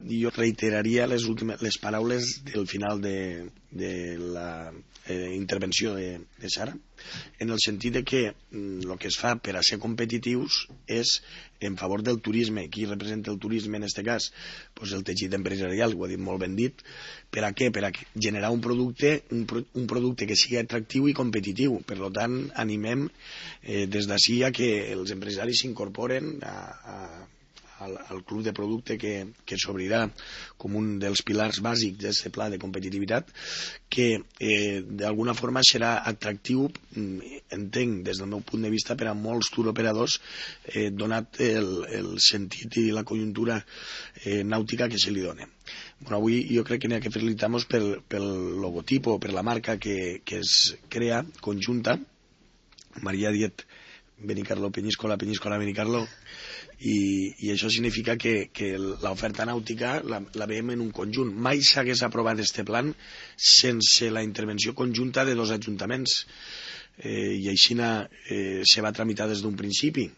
jo reiteraria les paraules del final de la intervenció de Sara, en el sentit de que el que es fa per a ser competitius és en favor del turisme. Qui representa el turisme en aquest cas? Pues el teixit empresarial, ho ha dit molt ben dit. Per a què? Per a generar un producte que sigui atractiu i competitiu. Per tant, animem des d'ací a que els empresaris s'incorporen al club de producte que s'obrirà com un dels pilars bàsics d'aquest pla de competitivitat, que d'alguna forma serà atractiu, entenc des del meu punt de vista, per a molts touroperadors, donat el sentit i la conjuntura nàutica que se li dona. Avui jo crec que n'hi ha que felicitar-nos pel logotipo, per la marca que es crea conjunta. Maria ha dit Benicarló, Peñíscola, Peñíscola, Benicarló, i això significa que l'oferta nàutica la veiem en un conjunt. Mai s'hagués aprovat aquest plan sense la intervenció conjunta de dos ajuntaments, i així se va tramitar des d'un principi.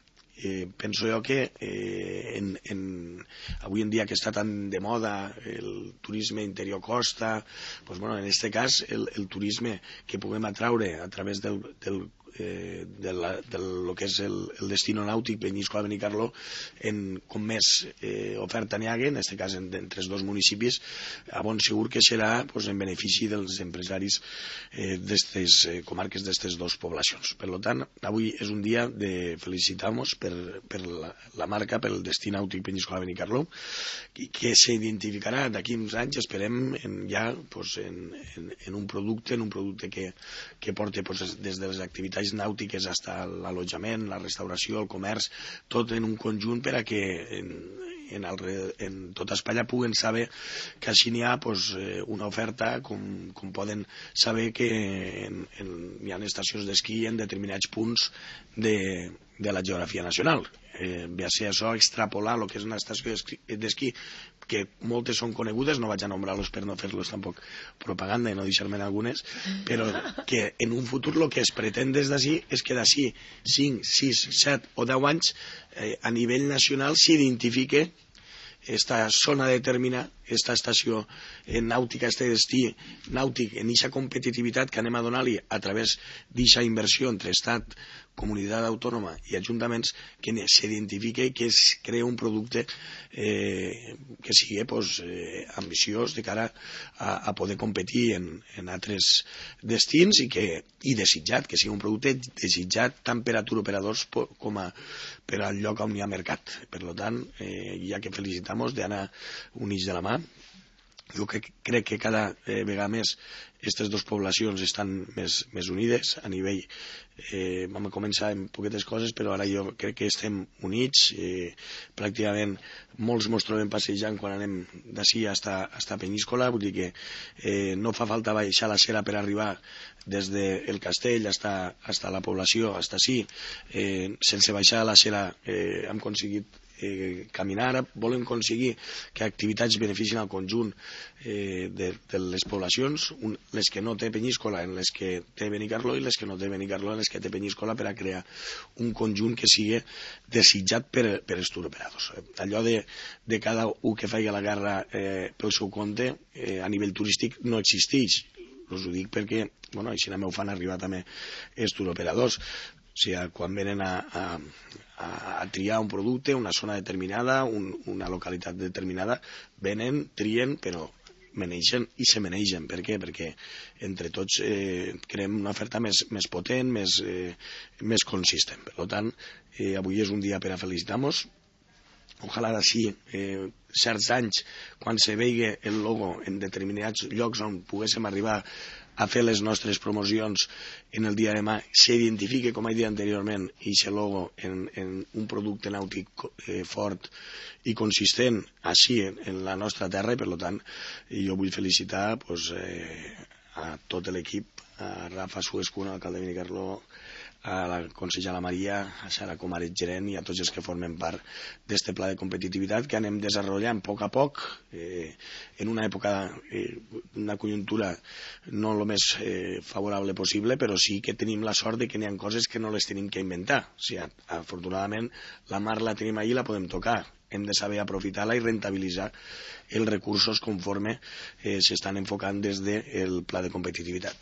Penso jo que avui en dia que està tan de moda el turisme interior costa, en aquest cas el turisme que puguem atraure a través del que és el destino nàutic Peñíscola Benicarló, com més oferta n'hi hagi, en aquest cas entre els dos municipis, a bon segur que serà en benefici dels empresaris d'aquestes comarques, d'aquestes dues poblacions. Per tant, avui és un dia de felicitar-nos per la marca, pel destí nàutic Peñíscola Benicarló, que s'identificarà d'aquí uns anys, esperem, ja en un producte que porta des de les activitats nàutiques fins a l'allotjament, la restauració, el comerç, tot en un conjunt per a que en tota Espanya puguen saber que així n'hi ha una oferta, com poden saber que hi ha estacions d'esquí en determinats punts de la geografia nacional. Ve a ser això extrapolar el que és una estació d'esquí, que moltes són conegudes, no vaig a nombrar-los per no fer-los tampoc propaganda i no deixar-me'n algunes, però que en un futur el que es pretén des d'ací és que d'ací 5, 6, 7 o 10 anys a nivell nacional s'identifique esta zona determinada, esta estació nàutica, este destí nàutic, en aquesta competitivitat que anem a donar-li a través d'aquesta inversió entre Estat, comunitat autònoma i ajuntaments, que s'identifique i que es crea un producte que sigui ambiciós de cara a poder competir en altres destins i desitjat, que sigui un producte desitjat tant per a touroperadors com per al lloc on hi ha mercat. Per tant, hi ha que felicitar-nos d'anar units de la mà. Jo crec que cada vegada més aquestes dues poblacions estan més unides a nivell. Vam començar amb poquetes coses, però ara jo crec que estem units. Pràcticament molts ens trobem passejant quan anem d'ací fins a Peñíscola, vull dir que no fa falta baixar la Sera per arribar des del castell fins a la població, fins ací. Sense baixar la Sera hem aconseguit caminar. Volem aconseguir que activitats beneficien al conjunt de les poblacions, les que no té Peñíscola en les que té Benicarló i les que no té Benicarló en les que té Peñíscola, per a crear un conjunt que sigui desitjat per als touroperadors. Allò de cada un que faci la guerra pel seu compte a nivell turístic no existeix. Us ho dic perquè així m'ho fan arribar també els touroperadors. O sigui, quan venen a triar un producte, una zona determinada, una localitat determinada, venen, trien, però manegen i se manegen. Per què? Perquè entre tots creem una oferta més potent, més consistent. Per tant, avui és un dia per a felicitar-nos. Ojalà d'ací certs anys, quan se vegi el logo en determinats llocs on poguéssim arribar a fer les nostres promocions en el dia de demà, s'identifique, com he dit anteriorment, i aquest logo en un producte nàutic fort i consistent així en la nostra terra, i per tant jo vull felicitar a tot l'equip, a Rafa Suescuna, alcalde de Benicarló, a la consellera la Maria, a Sara Comaret gerent i a tots els que formen part d'este pla de competitivitat que anem desenvolupant a poc, en una època, una conjuntura no el més favorable possible, però sí que tenim la sort de que n'hi ha coses que no les tenim que inventar. O sigui, afortunadament la mar la tenim allí i la podem tocar. Hem de saber aprofitar-la i rentabilitzar els recursos conforme s'estan enfocant des del pla de competitivitat.